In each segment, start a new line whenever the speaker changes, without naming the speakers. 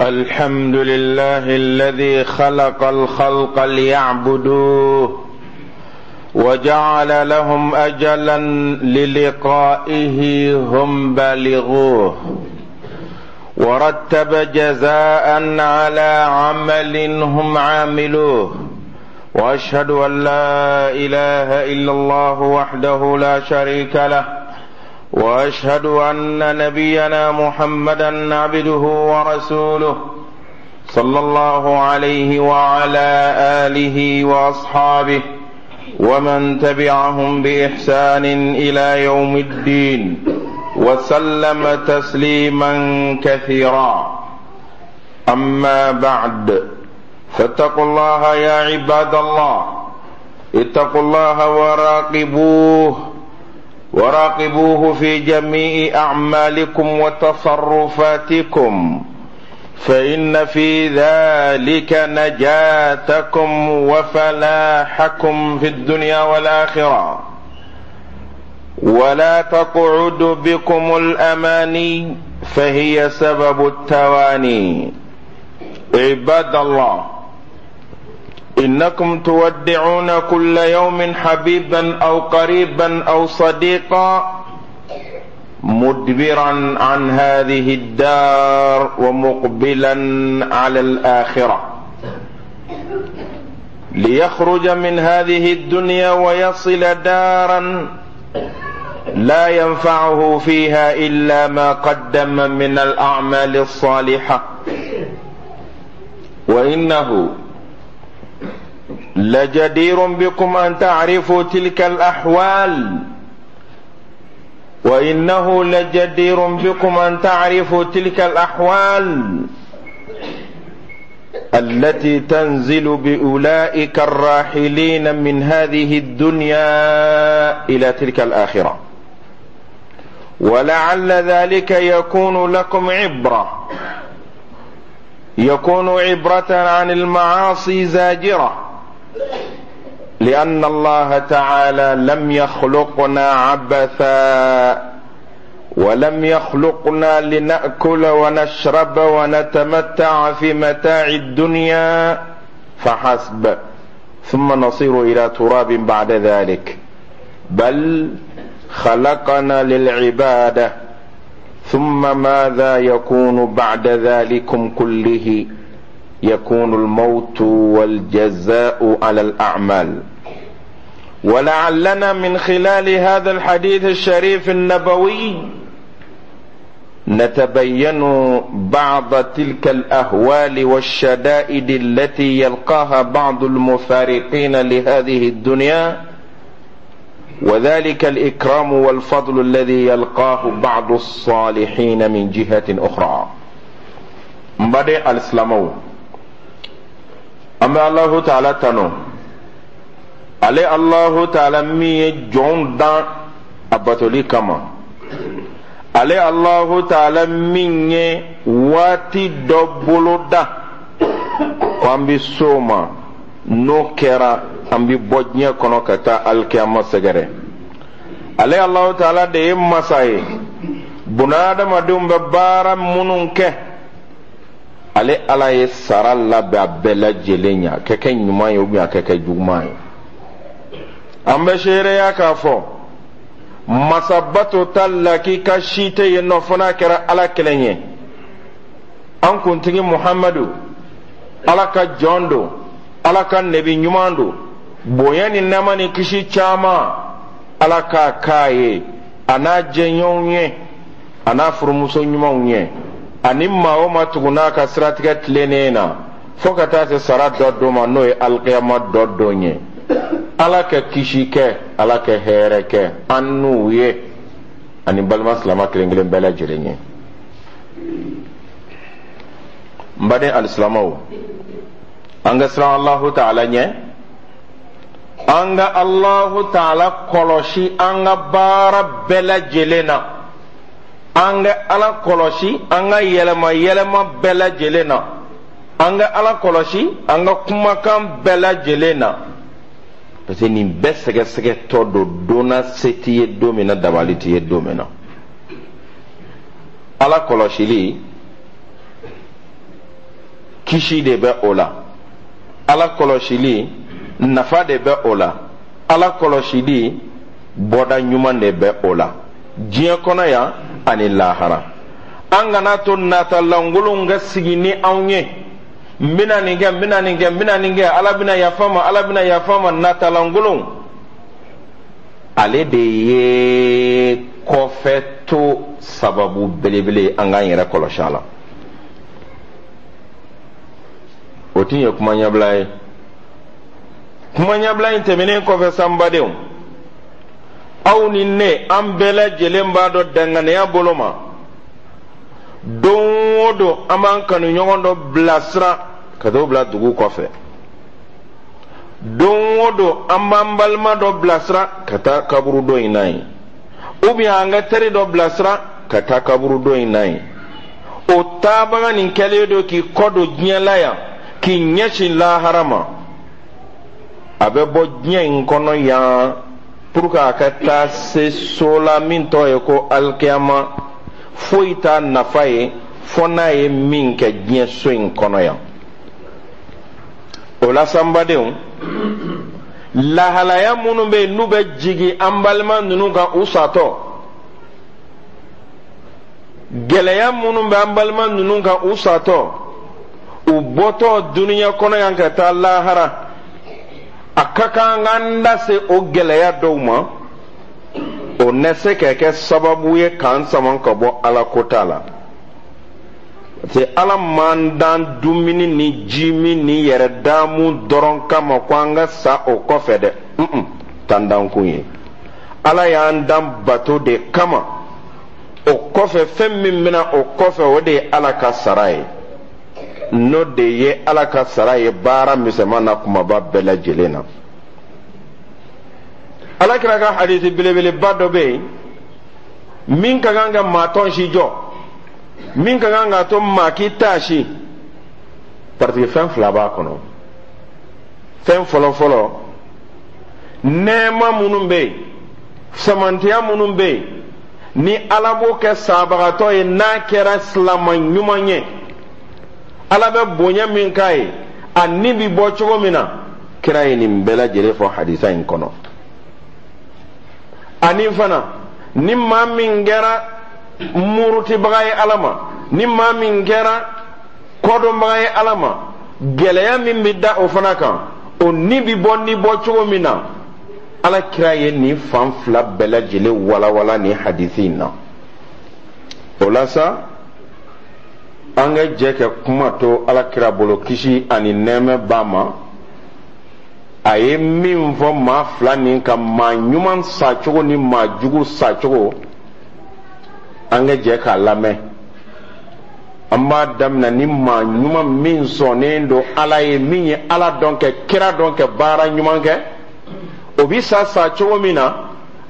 الحمد لله الذي خلق الخلق ليعبدوه وجعل لهم اجلا للقائه هم بالغوه ورتب جزاء على عمل هم عاملوه واشهد ان لا اله الا الله وحده لا شريك له واشهد ان نبينا محمدا عبده ورسوله صلى الله عليه وعلى اله واصحابه ومن تبعهم باحسان الى يوم الدين وسلم تسليما كثيرا اما بعد فاتقوا الله يا عباد الله اتقوا الله وراقبوه وراقبوه في جميع اعمالكم وتصرفاتكم فان في ذلك نجاتكم وفلاحكم في الدنيا والاخره ولا تقعد بكم الاماني فهي سبب التواني عباد الله انكم تودعون كل يوم حبيبا او قريبا او صديقا مدبرا عن هذه الدار ومقبلا على الاخره ليخرج من هذه الدنيا ويصل دارا لا ينفعه فيها الا ما قدم من الاعمال الصالحه وانه لجدير بكم ان تعرفوا تلك الاحوال وانه لجدير بكم ان تعرفوا تلك الاحوال التي تنزل باولئك الراحلين من هذه الدنيا الى تلك الاخره ولعل ذلك يكون لكم عبره يكون عبره عن المعاصي زاجره لان الله تعالى لم يخلقنا عبثا ولم يخلقنا لناكل ونشرب ونتمتع في متاع الدنيا فحسب ثم نصير الى تراب بعد ذلك بل خلقنا للعباده ثم ماذا يكون بعد ذلكم كله يكون الموت والجزاء على الاعمال ولعلنا من خلال هذا الحديث الشريف النبوي نتبين بعض تلك الاهوال والشدائد التي يلقاها بعض المفارقين لهذه الدنيا وذلك الاكرام والفضل الذي يلقاه بعض الصالحين من جهه اخرى مبادئ الاسلام an bɛ alahu taala tanu ale alahu taala min ye jɔnw dan a batoli kama ale alahu taala min ye waati dɔ boloda ko an bɛ s'o ma n'o kɛra an bɛ bɔ diɲɛ kɔnɔ ka taa alikiyama sɛgɛrɛ ale alahu taala de ye masa ye bunahadamadenw bɛ baara minnu kɛ ale ala ye sara labɛn a bɛɛ lajɛlen ɲɛ a ka kɛ ɲuman ye ubiyɛn a ka kɛ juguman ye an bɛ seereya k'a fɔ masa batota lakika si tɛ yen nɔ fo n'a kɛra ala kelen ye an kuntigi muhamadu ala ka jɔn don ala ka nebi ɲuman don bonya ni nɛɛma ni kisi caman ala k'a k'a ye a n'a jɛɲɔgɔnw ye a n'a furumuso ɲumanw ye ani maa o maa tugun'a ka siratigɛ tilennen na fo ka taa se sara dɔ don ma n'o ye alikiyama dɔ don ye ala ka kisi kɛ ala ka hɛrɛ kɛ an n'u ye ani balima silama kelen kelen bɛɛ lajɛlen ye n baden alisilamaw an ka siran alahu taala ɲɛ an ka alahu taala kɔlɔsi an ka baara bɛɛ lajɛlen na an ka ala kɔlɔsi an ka yɛlɛma yɛlɛma bɛɛ lajɛlen na an ka ala kɔlɔsi an ka kumakan bɛɛ lajɛlen na parce que nin bɛɛ sɛgɛsɛgɛtɔ don don na se t'i ye don min na dabali t'i ye don min na ala kɔlɔsili Kisi de bɛ o la. Ala kɔlɔsili, nafa de bɛ o la. Ala kɔlɔsili, bɔda ɲuman de bɛ o la diɲɛ kɔnɔ yan ani lahara. An kana to nata lankolonw ka sigi ni anw ye: n bɛna nin kɛ, n bɛna nin kɛ, n bɛna nin kɛ, Ala bɛna yafa ma, Ala bɛna yafa ma. Nata lankolonw, ale de ye kɔfɛ to sababu belebele. An k'an yɛrɛ kɔlɔsi a la. O tun ye kuma ɲɛbila ye. Kuma ɲɛbila in tɛmɛnen kɔfɛ, sa, n badenw, aw ni ne, an bɛɛ lajɛlen b'a dɔn danganiya bolo ma, don o don an b'an kanuɲɔgɔn dɔ bilasira ka t'o bila dugu kɔfɛ. Don o don an b'an balima dɔ bilasira ka taa kaburudo in na yen, ou bien an ka teri dɔ bilasira ka taa kaburudo in na yen. O taabaga nin kɛlen don k'i kɔ don diɲɛ la yan, k'i ɲɛsin lahara ma. A bɛ bɔ diɲɛ in kɔnɔ yan pour que a ka taa se so la min tɔgɔ ye ko alikiyama. Foyi t'a nafa ye fo n'a ye min kɛ diɲɛ so in kɔnɔ yan. O la sa, n badenw, lahalaya minnu bɛ yen n'u bɛ jigin an balima ninnu kan u satɔ, gɛlɛya minnu bɛ an balima ninnu kan u satɔ, u bɔtɔ duniya kɔnɔ yan ka taa lahara, a ka kan k'an da se o gɛlɛya dɔw ma. O na se ka kɛ sababu ye k'an sama ka bɔ Ala kota la, parce que Ala m'an dan dumuni ni ji min ni yɛrɛ daamu dɔrɔn kama ko an ka sa o kɔfɛ dɛ. Tandankun ye, Ala y'an dan bato de kama. O kɔfɛ, fɛn min bɛna o kɔfɛ, o de ye Ala ka sara ye. N'o de ye Ala ka sara ye baara misɛnman na kumaba bɛɛ lajɛlen na. Ala kira ka hadisi belebeleba dɔ bɛ yen min ka kan ka maa tɔnsi jɔ, min ka kan k'a to maa k'i taasi, parce que fɛn fila b'a kɔnɔ. Fɛn fɔlɔ-fɔlɔ, nɛɛma minnu bɛ yen, samantiya minnu bɛ yen ni Ala b'o kɛ sabagatɔ ye n'a kɛra silama ɲuman ye, Ala bɛ bonya min k'a ye, a ni bi bɔ cogo min na, kira ye nin bɛɛ lajɛlen fɔ hadisa in kɔnɔ. Ani fana, ni maa min kɛra murutibaga ye Ala ma, ni maa min kɛra kɔdɔnbaga ye Ala ma, gɛlɛya min bɛ da o fana kan, o ni bi bɔ ni bɔ cogo min na, Ala kira ye nin fan fila bɛɛ lajɛlen walawala nin hadisi in na. O la sa, an ka jɛ ka kuma to Ala kira bolo, kisi ani nɛɛmɛ b'a ma, a ye min fɔ maa fila nin kan, maa ɲuman sacogo ni maa jugu sacogo. An ka jɛ k'a lamɛn. An b'a daminɛ ni maa ɲuman min sɔnnen don Ala ye, min ye Ala dɔn, kɛ kira dɔn, kɛ baara ɲuman kɛ. O bi sa sa cogo min na,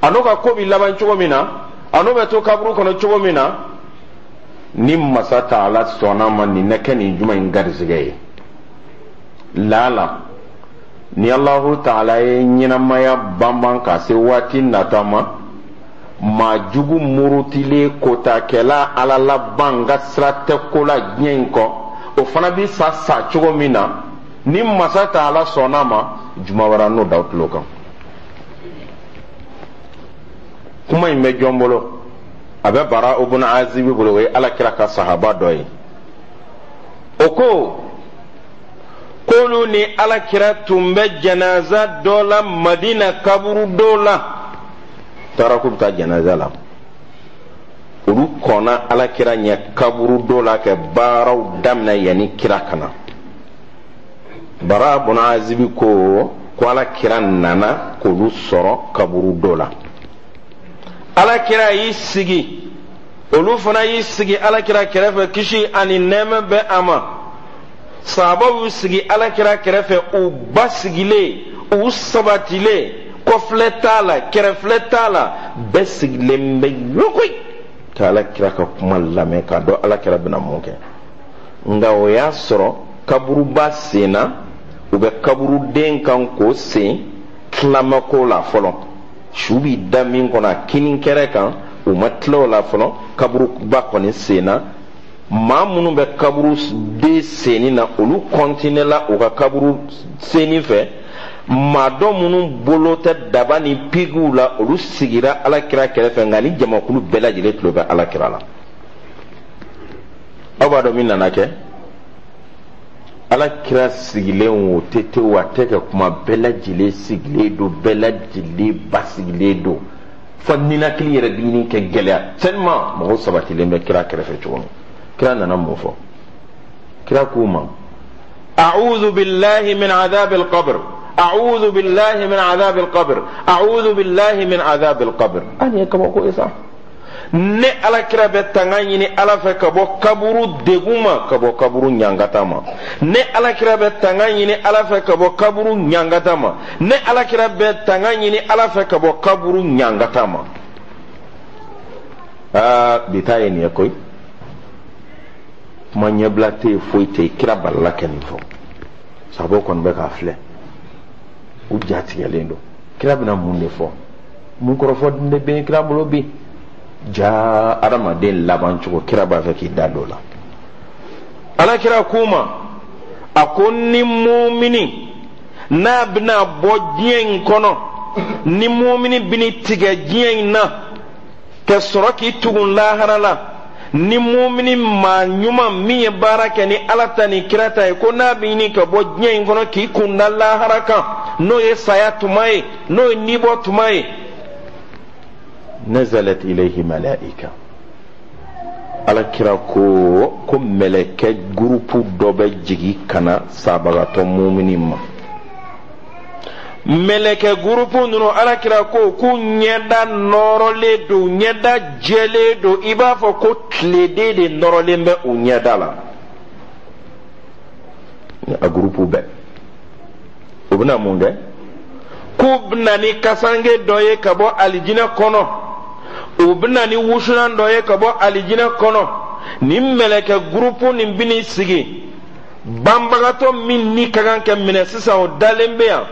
a n'o ka ko bi laban cogo min na, a n'o bɛ to kaburu kɔnɔ cogo min na, ni masa taala sɔnna ma, nin na kɛ nin juma in garisɛgɛ ye. Laala ni Alahu taala ye ɲɛnamaya banban ka se waati nata ma, maa jugu murutilen kotakɛla, Ala laban ka sira tɛ ko la diɲɛ in kɔ, o fana bi sa sa cogo min na, ni masa taala sɔnna ma, juma wɛrɛ n'o d'aw tulo kan. Kuma in bɛ jɔn bolo? A bɛ Bara ibn Azibi bolo. O ye Ala kira ka sahaba dɔ ye. O ko k'olu ni Ala kira tun bɛ janaza dɔ la Madina kaburu dɔ la. Taara k'u bɛ taa janaza la, olu kɔnna Ala kira ɲɛ kaburu dɔ la ka baaraw daminɛ yanni kira ka na. Bara bun Azibi ko ko Ala kira nana k'olu sɔrɔ kaburu dɔ la. Ala kira y'i sigi, olu fana y'i sigi Ala kira kɛrɛfɛ, kisi ani nɛɛmɛ bɛ a ma. Sahabaw y'u sigi Ala kira kɛrɛfɛ, u basigilen, u sabatilen, kɔfilɛ t'a la, kɛrɛfilɛ t'a la, bɛɛ sigilen bɛ yokoyi ka Ala kira ka kuma lamɛn, k'a dɔn Ala kira bɛna mun kɛ. Nka o y'a sɔrɔ kaburuba senna, u bɛ kaburuden kan k'o sen tilamako la fɔlɔ. Su bi da min kɔnɔ a kini kɛrɛ kan, u ma tila o la fɔlɔ. Kaburuba kɔni senna. Maa minnu bɛ kaburu den senni na, olu kɔntinɛla u ka kaburu senni fɛ. Maa dɔ minnu bolo tɛ daba ni pikiw la, olu sigira Ala kira kɛrɛfɛ. Nka ni jamakulu bɛɛ lajɛlen tulo bɛ Ala kira la. Aw b'a dɔn min nana kɛ? Ala kira sigilen o tɛ tewu, a tɛ ka kuma. Bɛɛ lajɛlen sigilen don, bɛɛ lajɛlen basigilen don, fo ninakili yɛrɛ bɛ ɲini kɛ gɛlɛya, tellement mɔgɔw sabatilen bɛ kira kɛrɛfɛ cogo min. Kira nana mun fɔ? Kira k'u ma: a'udhu billahi min adhabil qabr, a'udhu billahi min adhabil qabr, a'udhu billahi min adhabil qabr. A nin ye kabako ye sa! Ne Ala kira bɛ tanga ɲini Ala fɛ ka bɔ kaburu degun ma, ka bɔ kaburu ɲangata ma. Ne Ala kira bɛ tanga ɲini Ala fɛ ka bɔ kaburu ɲangata ma. Ne Ala kira bɛ tanga ɲini Ala fɛ ka bɔ kaburu ɲangata ma. Aa, bi ta ye nin ye koyi. Kuma ɲɛbila tɛ yen, foyi tɛ yen. Kira balala kɛ nin fɔ, sahabaw kɔni bɛ k'a filɛ, u ja tigɛlen don. Kira bɛna mun de fɔ? Mun kɔrɔfɔ de bɛ kira bolo bi? Ja, adamaden laban cogo, kira b'a fɛ k'i da don o la. Ala kira k'u ma, a ko ni mumini n'a bɛna bɔ diɲɛ in kɔnɔ, ni mumini bɛna tigɛ diɲɛ in na ka sɔrɔ k'i tugun lahara la, ni mumini maa ɲuman min ye baara kɛ ni Ala ta ni kira ta ye, ko n'a bɛ ɲini ka bɔ diɲɛ in kɔnɔ k'i kun da lahara kan, n'o ye saya tuma ye, n'o ye nibɔ tuma ye, nazalat ilayhi malaika. Ala kira ko mɛlɛkɛ gurupu dɔ bɛ jigin ka na sabagatɔ mumini ma. Mɛlɛkɛ gurupu ninnu, Ala kira ko k'u ɲɛda nɔrɔlen don, ɲɛda jɛlen don, i b'a fɔ ko tileden de nɔrɔlen bɛ u ɲɛda la. A gurupu bɛɛ, u bɛna mun kɛ? K'u bɛna ni kasange dɔ ye ka bɔ alijinɛ kɔnɔ, u bɛna ni wusulan dɔ ye ka bɔ alijinɛ kɔnɔ. Nin mɛlɛkɛ gurupu nin bɛn'i sigi banbagatɔ min ni ka kan ka minɛ sisan, o dalen bɛ yan.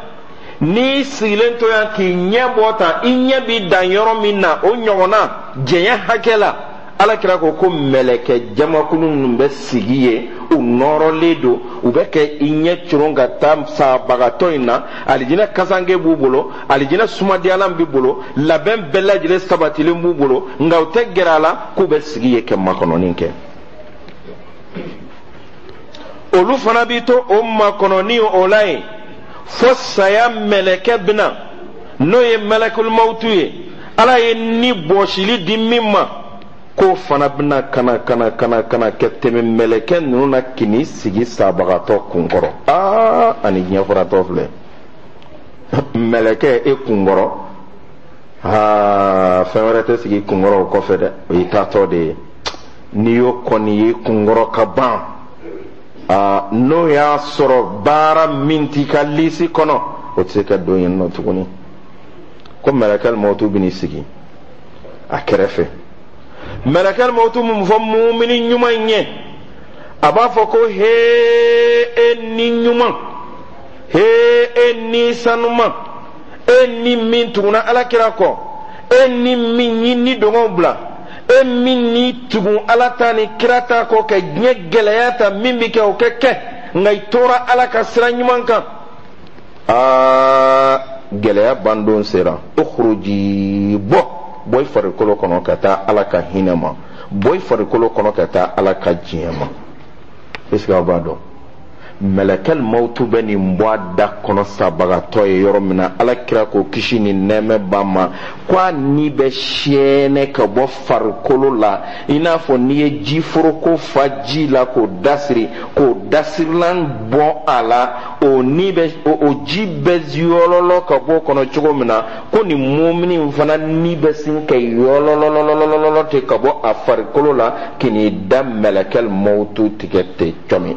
N'i sigilen to yan k'i ɲɛ bɔ tan, i ɲɛ b'i dan yɔrɔ min na, o ɲɔgɔnna jɛnya hakɛ la, Ala kira ko mɛlɛkɛ jamakulu ninnu bɛ sigi yen, u nɔrɔlen don, u bɛ kɛ i ɲɛ coron ka taa sabagatɔ in na. Alijinɛ kasange b'u bolo, alijinɛ sumadiyalan b'u bolo, labɛn bɛɛ lajɛlen sabatilen b'u bolo, nka u tɛ gɛrɛ a la, k'u bɛ sigi yen kɛ makɔnɔni kɛ. Olu fana b'i to o makɔnɔni o la yen fo saya mɛlɛkɛ bɛna, n'o ye mɛlɛkul mawutu ye, Ala ye ni bɔsili di min ma, k'o fana bɛna kana kana kana kana kɛ tɛmɛ mɛlɛkɛ ninnu na k'i sigi sabagatɔ kunkɔrɔ. Aa, ani diɲɛ furatɔ filɛ, mɛlɛkɛ e kunkɔrɔ, aa, fɛn wɛrɛ tɛ sigi kunkɔrɔ o kɔfɛ dɛ, o y'i taatɔ de ye. N'i y'o kɔni ye kunkɔrɔ ka ban, aa, n'o y'a sɔrɔ baara min t'i ka lisi kɔnɔ, o tɛ se ka don yen nɔ tuguni. Ko mɛlɛkɛli mawutu bɛn'i sigi a kɛrɛfɛ. Mɛlɛkɛli mawutu mun fɔ mumini ɲuman in ye? A b'a fɔ ko: hee, e ni ɲuman, hee, e ni sanuman, e ni min tuguna Ala kira kɔ, e ni min y'i ni dɔngɔw bila, e min ni tugun Ala ta ni kira ta kɔ, ka diɲɛ gɛlɛya ta, min bɛ kɛ o kɛ kɛ, nka i tora Ala ka sira ɲuman kan. Aa, gɛlɛya bandon sera. Ukhruji, bɔ, bɔ i farikolo kɔnɔ ka taa Ala ka hinɛ ma, bɔ i farikolo kɔnɔ ka taa Ala ka diɲɛ ma. Est ce que aw b'a dɔn mɛlɛkɛl mawutu bɛ nin bɔ a da kɔnɔ sabagatɔ ye yɔrɔ min na? Ala kira ko, kisi ni nɛɛmɛ b'a ma, ko a ni bɛ siyɛnɛ ka bɔ farikolo la i n'a fɔ n'i ye ji foroko fa ji la k'o dasiri, k'o dasirilan bɔ a la, o ni bɛ o ji bɛ yɔlɔlɔ ka bɔ o kɔnɔ cogo min na, ko nin mumini in fana ni bɛ sin ka yɔlɔlɔlɔlɔlɔ ten ka bɔ a farikolo la k'i n'i da mɛlɛkɛl mawutu tigɛ ten cɔmi.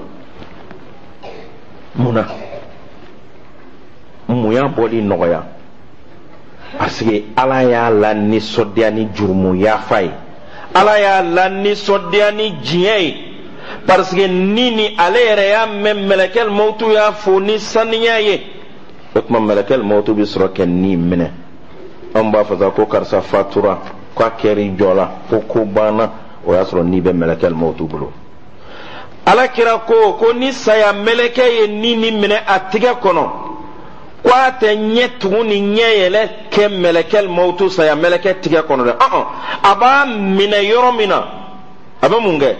Mun na? Mun y'a bɔli nɔgɔya? Parce que Ala y'a la nisɔndiya ni jurumu yafa ye, Ala y'a la nisɔndiya ni diɲɛ ye, parce que ni ale yɛrɛ y'a mɛn mɛlɛkɛl mawutu y'a fo ni saniya ye. O tuma mɛlɛkɛl mawutu bɛ sɔrɔ kɛ ni minɛ. An b'a fɔ sa ko karisa fatura, k'a kɛr'i jɔ la, ko ko banna. O y'a sɔrɔ ni bɛ mɛlɛkɛl mawutu bolo. Ala kira ko ko ni saya mɛlɛkɛ ye ni nin minɛ a tigɛ kɔnɔ, ko a tɛ ɲɛ tugun ni ɲɛ yɛlɛ kɛ mɛlɛkɛl mawutu saya mɛlɛkɛ tigɛ kɔnɔ dɛ. Ɔn, a b'a minɛ yɔrɔ min na, a bɛ mun kɛ?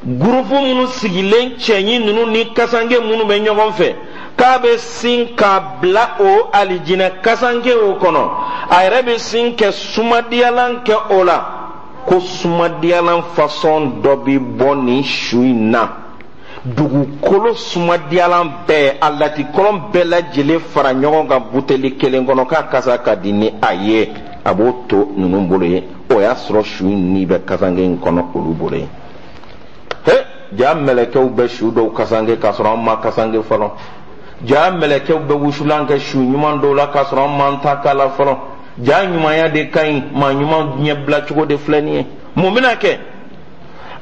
Gurupu minnu sigilen, cɛɲi ninnu ni kasanke minnu bɛ ɲɔgɔn fɛ, k'a bɛ sin k'a bila o alijinɛ kasanke o kɔnɔ. A yɛrɛ bɛ sin kɛ sumadiyalan kɛ o la, ko sumadiyalan fasɔn dɔ bɛ bɔ nin su in na, dugukolo sumadiyalan bɛɛ, a latikɔlɔn bɛɛ lajɛlen fara ɲɔgɔn kan buteli kelen kɔnɔ, k'a kasa ka di ni a ye. A b'o to ninnu bolo yen. O y'a sɔrɔ su in ni bɛ kasanke in kɔnɔ olu bolo yen. He, jaa mɛlɛkɛw bɛ su dɔw kasanke k'a sɔrɔ an ma kasanke fɔlɔ. Jaa mɛlɛkɛw bɛ wusulan kɛ su ɲuman dɔw la k'a sɔrɔ an m'an ta k'a la fɔlɔ. Jaa ɲumanya de ka ɲi, maa ɲuman ɲɛbila cogo de filɛ nin ye. Mun bɛna kɛ?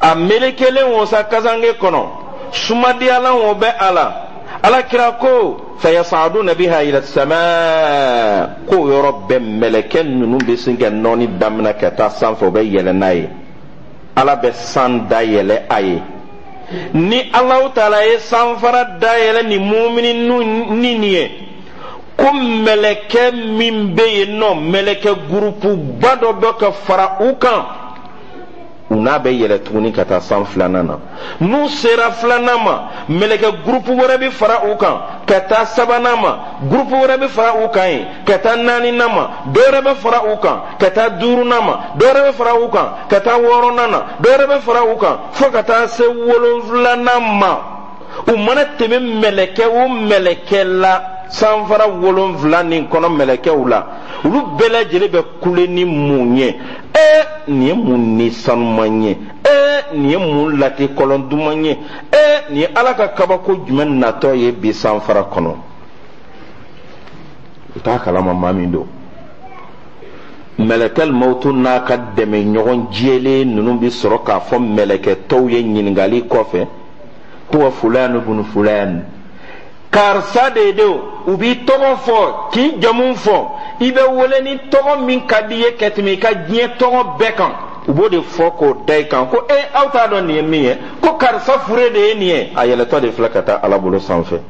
A melekelen o sa kasanke kɔnɔ, sumadiyalan o bɛ a la. Ala kira ko fayasaduna biha ila sama, k'o yɔrɔ bɛɛ mɛlɛkɛ ninnu bɛ sin ka nɔɔni daminɛ ka taa sanfɛ, u bɛ yɛlɛ n'a ye. Ala bɛ san dayɛlɛ a ye. Ni Alahu taala ye sanfara dayɛlɛ ni mumini ni nin ye, ko mɛlɛkɛ min bɛ yen nɔ, mɛlɛkɛ gurupuba dɔ bɛ ka fara u kan, u n'a bɛ yɛlɛ tuguni ka taa san filanan na. N'u sera filanan ma, mɛlɛkɛ gurupu wɛrɛ bɛ fara u kan ka taa sabanan ma, gurupu wɛrɛ bɛ fara u kan yen ka taa naaninan ma, dɔ wɛrɛ bɛ fara u kan ka taa duurunan ma, dɔ wɛrɛ bɛ fara u kan ka taa wɔɔrɔnan na, dɔ wɛrɛ bɛ fara u kan fo ka taa se wolonfilanan ma. U mana tɛmɛ mɛlɛkɛ o mɛlɛkɛ la sanfara wolonfila nin kɔnɔ, mɛlɛkɛw la, olu bɛɛ lajɛlen bɛ kule ni mun ye? Ee, nin ye mun ni sanuman ye? Ee, nin ye mun latikɔlɔn duman ye? Ee, nin ye Ala ka kabako jumɛn natɔ ye bi sanfara kɔnɔ? U t'a kalama maa min don. Mɛlɛkɛl mawutu n'a ka dɛmɛɲɔgɔn jɛlen ninnu bɛ sɔrɔ k'a fɔ mɛlɛkɛ tɔw ye ɲininkali kɔfɛ: huwa fulani bunu fulani, karisa de don. U b'i tɔgɔ fɔ, k'i jamu fɔ, i bɛ wele ni tɔgɔ min ka di i ye ka tɛmɛ i ka diɲɛ tɔgɔ bɛɛ kan, u b'o de fɔ k'o da i kan, ko e, aw t'a dɔn nin ye min ye, ko karisa fure de ye nin ye, a yɛlɛtɔ de filɛ ka taa Ala bolo sanfɛ.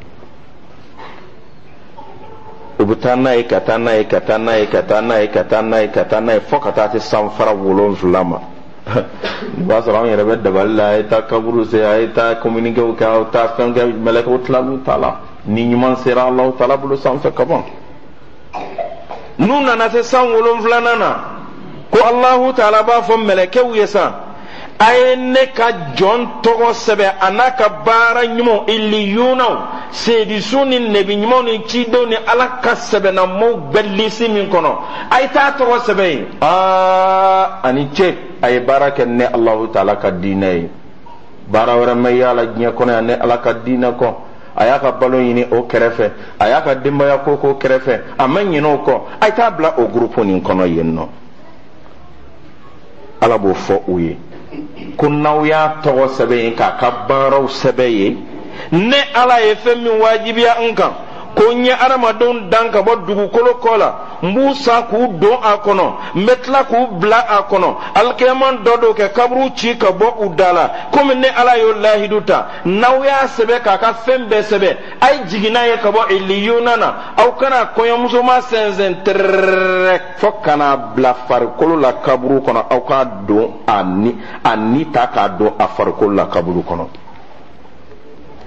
U bɛ taa n'a ye, ka taa n'a ye, ka taa n'a ye, ka taa n'a ye, ka taa n'a ye, ka taa n'a ye, fo ka taa se sanfara wolonfila ma. O b'a sɔrɔ anw yɛrɛ bɛ dabali la, a ye taa kaburu sen, a ye taa communiquéw kɛ, aw taa fɛn kɛ. Mɛlɛkɛw tilal'u ta la, ni ɲuman sera Alahu taala bolo sanfɛ ka ban. N'u nana se san wolonfilanan na, ko Alahu taala b'a fɔ mɛlɛkɛw ye sa: a ye ne ka jɔn tɔgɔ sɛbɛn, a n'a ka baara ɲumanw, iliyunaw, seedisu ni nɛbi ɲumanw ni cidenw ni Ala ka sɛbɛnnamɔgɔw bɛɛ lisi min kɔnɔ, a ye taa tɔgɔ sɛbɛn yen. Aa, a ni ce, a ye baara kɛ ne Alahu taala ka diinɛ ye. Baara wɛrɛ ma y'a la diɲɛ kɔnɔ yan ne Ala ka diinɛ kɔ. A y'a ka balo ɲini o kɛrɛfɛ, a y'a ka denbaya ko k'o kɛrɛfɛ, a ma ɲinɛ o kɔ. A ye taa bila o gurupu nin kɔnɔ yen nɔ. Ala b'o fɔ u ye ko n'aw y'a tɔgɔ sɛbɛn yen, k'a ka baaraw sɛbɛn yen, ne Ala ye fɛn min wajibiya n kan, ko n ye adamadenw dan ka bɔ dugukolo kɔ la, n b'u sa k'u don a kɔnɔ, n bɛ tila k'u bila a kɔnɔ alikiyama dɔ don kɛ kaburu ci ka bɔ u da la, komi ne Ala y'o lahidu ta, n'aw y'a sɛbɛn k'a ka fɛn bɛɛ sɛbɛn, a ye jigin n'a ye ka bɔ iliyuna na, aw kana kɔɲɔmusoma sɛnsɛn tɛrɛrɛrɛ fo ka n'a bila farikolo la kaburu kɔnɔ, aw k'a don a ni, a ni ta k'a don a farikolo la kaburu kɔnɔ.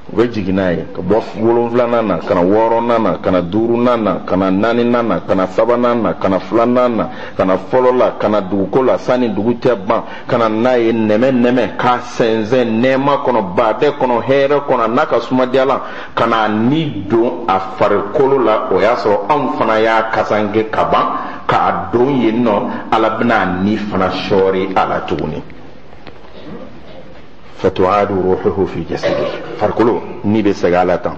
U bɛ jigin n'a ye ka bɔ wolonfilanan na ka na wɔɔrɔnan na, ka na duurunan na, ka na naaninan na, ka na sabanan na, ka na filanan na, ka na fɔlɔ la, ka na duguko la sanni dugu cɛ ban, ka na n'a ye nɛmɛ nɛmɛ, k'a sɛnsɛn nɛɛma kɔnɔ, baadɛ kɔnɔ, hɛrɛ kɔnɔ, n'a ka sumadiyalan, ka na ni don a farikolo la. O y'a sɔrɔ anw fana y'a kasanke ka ban k'a don yen nɔ. Ala bɛna a ni fana sɔɔri a la tuguni. Fatuadu ruhuhu fi jasadi, farikolo ni bɛ segin a la tan.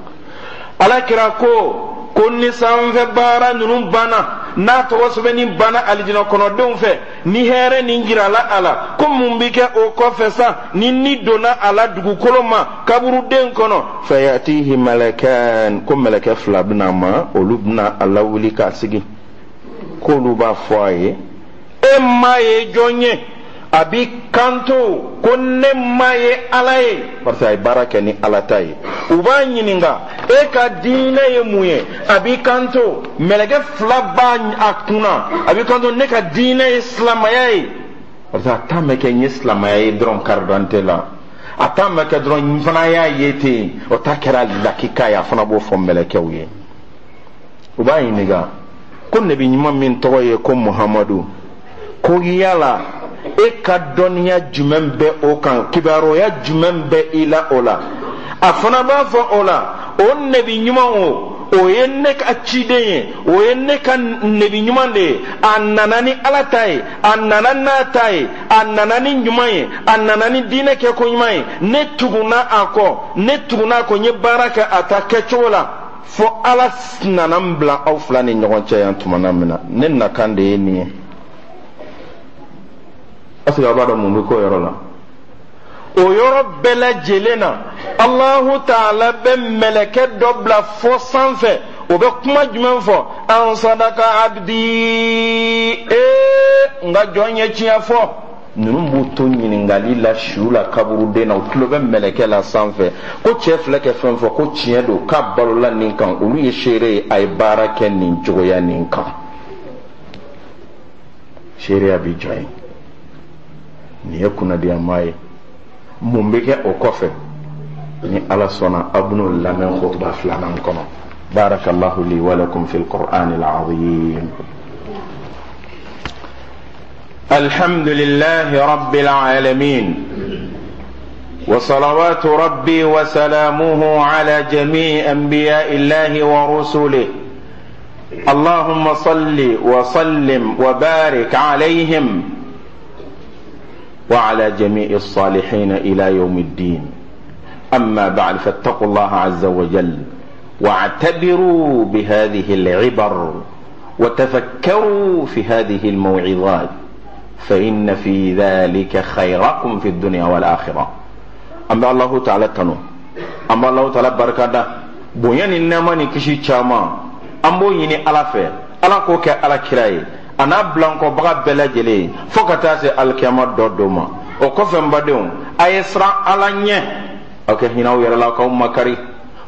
Ala kira ko ko ni sanfɛ baara ninnu banna, n'a tɔgɔ sɛbɛnni banna alijinɛ kɔnɔdenw fɛ, ni hɛrɛ nin jirala a la, ko mun bɛ kɛ o kɔfɛ sa ni ni donna a la dugukolo ma kaburuden kɔnɔ? Fayatihi malakan, ko mɛlɛkɛ fila bɛna a ma, olu bɛna a lawuli k'a sigi, k'olu b'a fɔ a ye: e maa ye jɔn ye? A b'i kanto ko ne ma ye Ala ye, parce que a ye baara kɛ ni Ala ta ye. U b'a ɲininka, e ka diinɛ ye mun ye? A b'i kanto, mɛlɛkɛ fila b'a a kunna, a b'i kanto, ne ka diinɛ ye silamɛya ye. Parce que a ta ma kɛ n ye silamɛya ye dɔrɔn carte d'identité la, a ta ma kɛ dɔrɔn n fana y'a ye ten, o ta kɛra lakika ye. A fana b'o fɔ mɛlɛkɛw ye. U b'a ɲininka ko nabi ɲuman min tɔgɔ ye ko Muhamadu, ko yala e ka dɔnniya jumɛn bɛ o kan, kibaruya jumɛn bɛ i la o la? A fana b'a fɔ o la, o nabi ɲuman o, o ye ne ka ciden ye, o ye ne ka nabi ɲuman de ye. A nana ni Ala ta ye, a nana n'a ta ye, a nana ni ɲuman ye, a nana ni diinɛ kɛko ɲuman ye. Ne tugunna a kɔ, ne tugunna a kɔ, n ye baara kɛ a ta kɛcogo la fo Ala nana n bila aw fila ni ɲɔgɔn cɛ yan tuma min na. Ne nakan de ye nin ye. Est ce que aw b'a dɔn mun bɛ k'o yɔrɔ la? O yɔrɔ bɛɛ lajɛlen na, Alahu Taala bɛ mɛlɛkɛ dɔ bila fɔ sanfɛ. O bɛ kuma jumɛn fɔ? An sadaka abdi, ee, n ka jɔn ye tiɲɛ fɔ. Ninnu b'u to ɲininkali la su la kaburuden na, u tulo bɛ mɛlɛkɛ la sanfɛ ko cɛ filɛ kɛ fɛn fɔ ko tiɲɛ don, k'a balola nin kan. Olu ye seere ye, a ye baara kɛ nin cogoya nin kan. Seereya bi jɔ yen. Nin ye kunnadiyama ye. Mun bɛ kɛ o kɔfɛ? Ni Ala sɔnna, aw bɛn'o lamɛn kutuba filanan kɔnɔ. Barakallahu li wa lakum fil qur'an al-azim. الحمد لله رب العالمين، وصلوات ربي وسلامه على جميع انبياء الله ورسله. اللهم صل وسلم وبارك عليهم وعلى جميع الصالحين الى يوم الدين. اما بعد، فاتقوا الله عز وجل واعتبروا بهذه العبر وتفكروا في هذه الموعظات، فإن في ذلك خيركم في الدنيا والآخرة. An bɛ Alahu Taala tanu, an bɛ Alahu Taala barikada. Bonya ni nɛɛma ni kisi caman, an b'o ɲini Ala fɛ, Ala k'o kɛ Ala kira ye, a n'a bilankɔbaga bɛɛ lajɛlen ye fo ka taa se alikiyama dɔ don ma. O kɔfɛ, n badenw, a ye siran Ala ɲɛ, aw kɛ hinɛ aw yɛrɛ la, k'aw makari.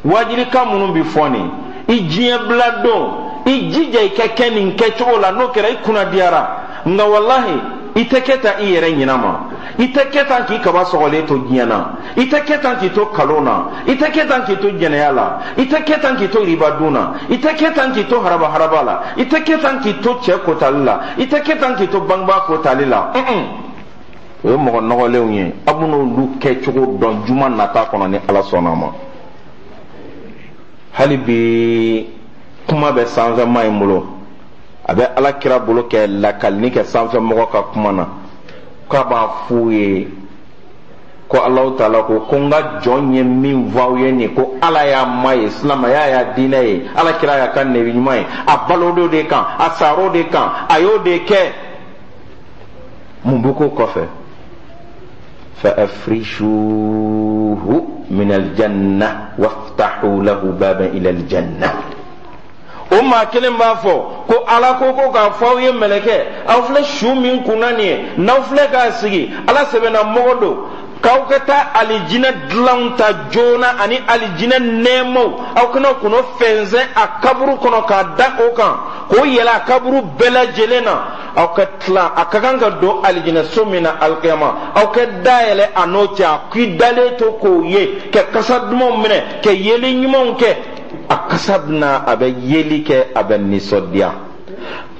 Wajilikan minnu bi fɔ nin, i diɲɛ bila don, i jija i ka kɛ nin kɛcogo la. N'o kɛra, i kunna diyara. Nka walahi, i tɛ kɛ tan i yɛrɛ ɲinɛ ma, i tɛ kɛ tan k'i kaba sɔgɔlen to diɲɛ na, i tɛ kɛ tan k'i to kalon na, i tɛ kɛ tan k'i to jɛnɛya la, i tɛ kɛ tan k'i to riba dun na, i tɛ kɛ tan k'i to haraba haraba la, i tɛ kɛ tan k'i to cɛ kotali la, i tɛ kɛ tan k'i to bangebaa kotali la. O ye mɔgɔ nɔgɔlenw ye. Aw bɛn'olu kɛcogo dɔn juma nata kɔnɔ ni Ala sɔnna a ma. Hali bi kuma bɛ sanfɛma in bolo, a bɛ Ala kira bolo kɛ lakalini kɛ sanfɛmɔgɔ ka kuma na, k'a b'a f'u ye ko Alahu Taala ko ko n ka jɔn ye min fɔ aw ye nin, ko Ala y'a ma ye, silamɛya y'a diinɛ ye, Ala kira y'a ka nɛbi ɲuman ye, a balod'o de kan, a sar'o de kan, a y'o de kɛ. Mun bɛ k'o kɔfɛ? Fa afrishuhu min aljanna waftahu lahu baban ila aljanna. O maa kelen b'a fɔ ko Ala ko ko k'a fɔ aw ye, mɛlɛkɛ, aw filɛ su min kunna nin ye, n'aw filɛ k'a sigi, Ala sɛbɛnna mɔgɔ don, k'aw ka taa alijinɛ dilanw ta joona ani alijinɛ nɛɛmaw, aw kana k'o fɛnsɛn a kaburu kɔnɔ k'a da o kan, k'o yɛlɛ a kaburu bɛɛ lajɛlen na. Aw ka tila, a ka kan ka don alijinɛ so min na alikiyama, aw ka dayɛlɛ a n'o cɛ, a k'i dalen to k'o ye, ka kasa dumanw minɛ, ka yeli ɲumanw kɛ, a kasa bɛna, a bɛ yeli kɛ, a bɛ nisɔndiya.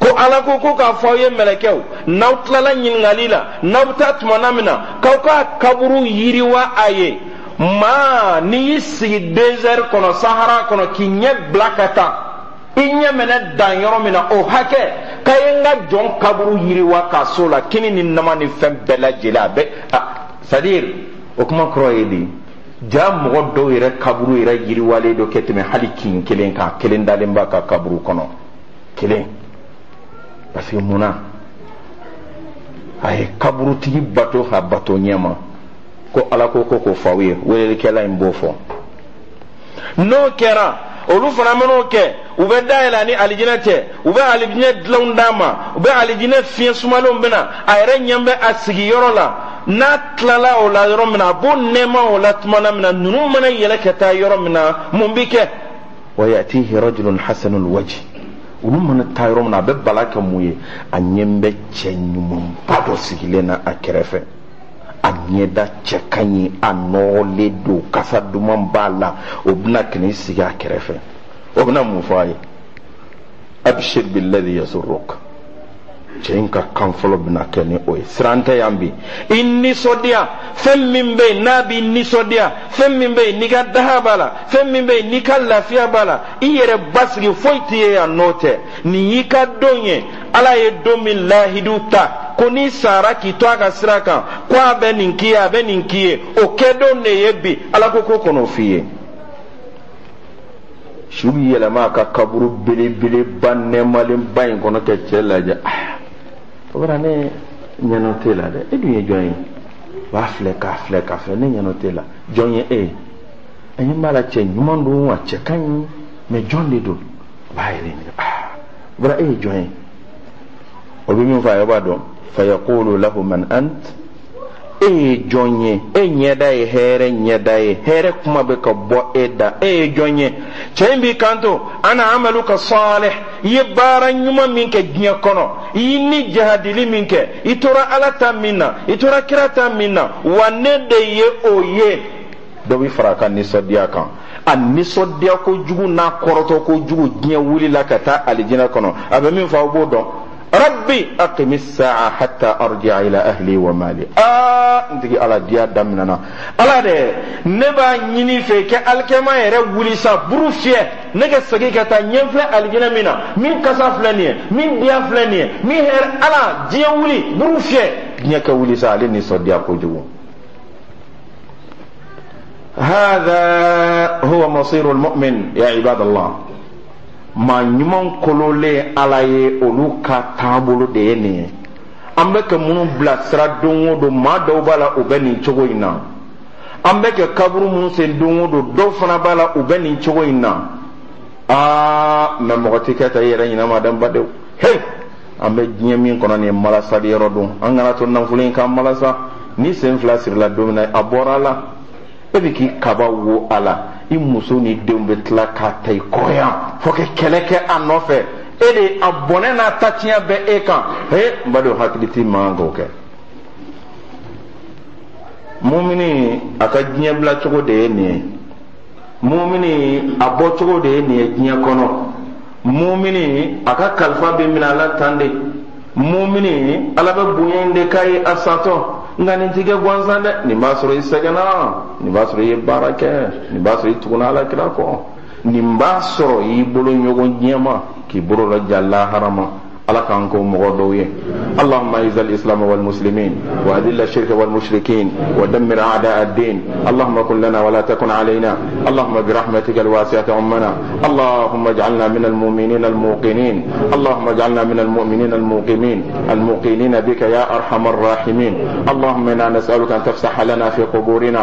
Ko Ala ko ko k'a fɔ aw ye, mɛlɛkɛw, n'aw tilala ɲininkali la, n'aw bɛ taa tumana min na, k'aw ka kaburu yiriwa a ye. Maa n'i y'i sigi désert kɔnɔ, Sahara kɔnɔ, k'i ɲɛ bila ka taa, i ɲɛ mɛnɛ dan yɔrɔ min na, o hakɛ k'a ye n ka jɔn kaburu yiriwa k'a so la, kini ni nama ni fɛn bɛɛ lajɛlen a bɛ. C'est à dire, o kuma kɔrɔ ye di? Ja mɔgɔ dɔw yɛrɛ kaburu yɛrɛ yiriwalen don kɛ tɛmɛ hali kin kelen kan, kelen dalen b'a ka kaburu kɔnɔ kelen. Parce que mun na? A ye kaburutigi bato ka bato ɲɛma. Ko Ala ko ko k'o fɔ aw ye, welelikɛla in b'o fɔ. N'o kɛra, Olu fana man'o kɛ, u bɛ da yɛlɛ a ni alijinɛ cɛ, u bɛ alijinɛ dilanw d'a ma, u bɛ alijinɛ fiɲɛ sumalenw bɛ na. A yɛrɛ ɲɛ bɛ a sigiyɔrɔ la. N'a tilala o la yɔrɔ min na, a b'o nɛɛma o la tuma min na, ninnu mana yɛlɛ ka taa yɔrɔ min na, mun bi kɛ? Wa yatihi rajulun hasanul wajh. Olu mana taa yɔrɔ min na, a bɛ bala kɛ mun ye? A ɲɛ bɛ cɛ ɲumanba dɔ sigilen na a kɛrɛfɛ. A ɲɛda cɛ ka ɲi, a nɔgɔlen don, kasa duman b'a la. O bɛna ka n'i sigi a kɛrɛfɛ. O bɛna mun fɔ a ye? Abshir billadhi yasurruk. Cɛ in ka kan fɔlɔ bɛna kɛ ni o ye. Siran tɛ yan bi. I nisɔndiya fɛn min bɛ yen n'a b'i nisɔndiya, fɛn min bɛ yen n'i ka daha b'a la, fɛn min bɛ yen n'i ka lafiya b'a la, i yɛrɛ basigi foyi t'i ye yan n'o tɛ. Nin y'i ka don ye. Ala ye don min lahidu ta ko n'i sara k'i to a ka sira kan, ko a bɛ nin k'i ye, a bɛ nin k'i ye, o kɛdon de ye bi. Ala ko ko kɔnɔ f'i ye. Su bɛ yɛlɛma a ka kaburu belebeleba nɛɛmalenba in kɔnɔ ka cɛ lajɛ. Ah, o bɛna ne ɲɛnɔ t'e la dɛ. E dun ye jɔn ye? B'a filɛ k'a filɛ k'a filɛ, ne ɲɛnɔ t'e la. Jɔn ye e ye? A ɲɛ b'a la, cɛ ɲuman don, a cɛ ka ɲi, mɛ jɔn de don? A b'a yɛrɛ ɲininka. Ah, o bɛna e ye jɔn ye? O bɛ min fɔ a ye, o b'a dɔn. Fayaqulu lahu man ant. E ye jɔn ye? E ɲɛda ye hɛrɛ ɲɛda ye, hɛrɛ kuma bɛ ka bɔ e da. E ye jɔn ye? Cɛ in b'i kanto: ana amaluka salih. I ye baara ɲuman min kɛ diɲɛ kɔnɔ, i y'i ni jahadili min kɛ, i tora Ala ta min na, i tora kira ta min na, wa ne de ye o ye. Dɔ bɛ fara a ka nisɔndiya kan. A nisɔndiya kojugu n'a kɔrɔtɔ kojugu, diɲɛ wulila ka taa alijinɛ kɔnɔ. A bɛ min fɔ, aw b'o dɔn: rabbi aqimi sa'a hatta arji'a ila ahli wa mali. Aa, n tigi Ala, diya daminɛna. Ala dɛ, ne b'a ɲini fɛ kɛ alikɛma yɛrɛ wuli sa, buru fiyɛ, ne ka segin ka taa ɲɛ filɛ alijinɛ min na, min kasa filɛ nin ye, min diya filɛ nin ye, min hɛrɛ. Ala, diɲɛ wuli, buru fiyɛ, diɲɛ ka wuli sa. Ale nisɔndiya kojugu. هذا هو مصير المؤمن يا عباد الله. Maa ɲuman kololen Ala ye, olu ka taabolo de ye nin ye. An bɛ ka minnu bilasira don o don, maa dɔw b'a la, u bɛ nin cogo in na. An bɛ ka kaburu minnu sen don o don, dɔw fana b'a la, u bɛ nin cogo in na. Aa, mɛ mɔgɔ tɛ kɛ ta i yɛrɛ ɲinɛ ma dɛ, n badenw. Hey, an bɛ diɲɛ min kɔnɔ nin ye, malasali yɔrɔ don. An kana to nafolo in k'an malasa. Ni sen fila sirila don min na, a bɔra a la. E bɛ k'i kaba wo a la, i muso ni denw bɛ tila k'a ta i kɔ yan fo ka kɛlɛ kɛ a nɔfɛ. E de a bɔnɛ n'a ta tiɲɛ bɛ e kan. He, n badenw, hakili t'i man kan k'o kɛ. Mumini a ka diɲɛ bila cogo de ye nin ye. Mumini a bɔ cogo de ye nin ye diɲɛ kɔnɔ. Mumini a ka kalifa bɛ minɛ a la tan de. Mumini, Ala bɛ bonya in de k'a ye a satɔ. Nka nin ti kɛ gansan dɛ. Nin b'a sɔrɔ i sɛgɛnna, nin b'a sɔrɔ i ye baara kɛ, nin b'a sɔrɔ i tugunna Ala kira kɔ, nin b'a sɔrɔ i y'i bolo ɲɔgɔn diɲɛ ma k'i bolo laja lahara ma. Ala k'an k'o mɔgɔ dɔw ye. اللهم اعز الاسلام والمسلمين واذل الشرك والمشركين ودمر اعداء الدين. اللهم كن لنا ولا تكن علينا. اللهم برحمتك الواسعه عمنا. اللهم اجعلنا من المؤمنين الموقنين. اللهم اجعلنا من المؤمنين الموقنين الموقنين بك يا ارحم الراحمين. اللهم انا نسالك ان تفسح لنا في قبورنا.